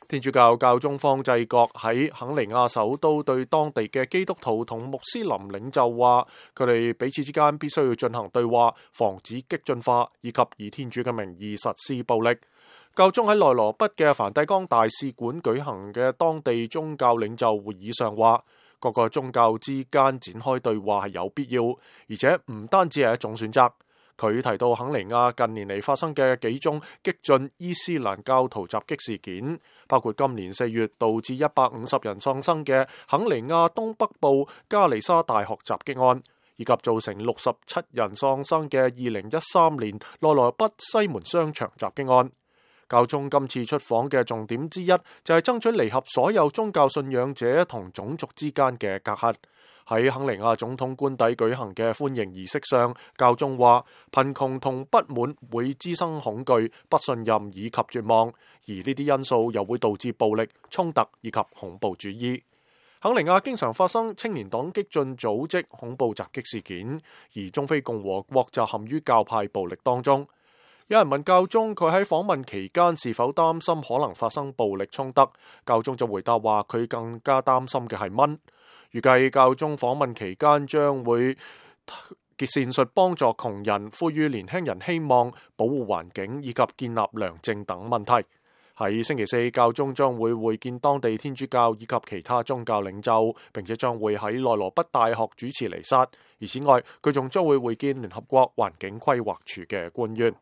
天主教教宗方濟各喺肯尼亞首都對當地嘅基督徒同穆斯林領袖話，佢哋彼此之間必須要進行對話，防止激進化以及以天主嘅名義實施暴力。教宗喺內羅畢嘅梵蒂岡大使館舉行嘅當地宗教領袖會議上話，各個宗教之間展開對話係有必要，而且唔單止係一種選擇。佢提到肯尼亞近年嚟發生嘅幾宗激進伊斯蘭教徒襲擊事件，包括今年4月導致150人喪生嘅肯尼亞東北部加利沙大學襲擊案，以及造成67人喪生嘅2013年內羅畢西門商場襲擊案。教宗今次出訪嘅重點之一就係爭取彌合所有宗教信仰者同種族之間嘅隔閡。喺肯尼亞總統官邸舉行嘅歡迎儀式上，教宗話貧窮同不滿會滋生恐懼、不信任以及絕望，而呢啲因素又會導致暴力、衝突以及恐怖主義。肯尼亞經常發生青年黨激進組織恐怖襲擊事件，而中非共和國就陷於教派暴力當中。有人問教宗佢喺訪問期間是否擔心可能發生暴力衝突，教宗就回答話佢更加擔心嘅係蚊。預計教宗訪問期間將會闡述幫助窮人、呼籲年輕人希望、保護環境以及建立良政等問題。喺星期四，教宗將會會見當地天主教以及其他宗教領袖，並且將會喺內羅畢大學主持彌撒。而此外，佢仲將會會見聯合國環境規劃署嘅官員。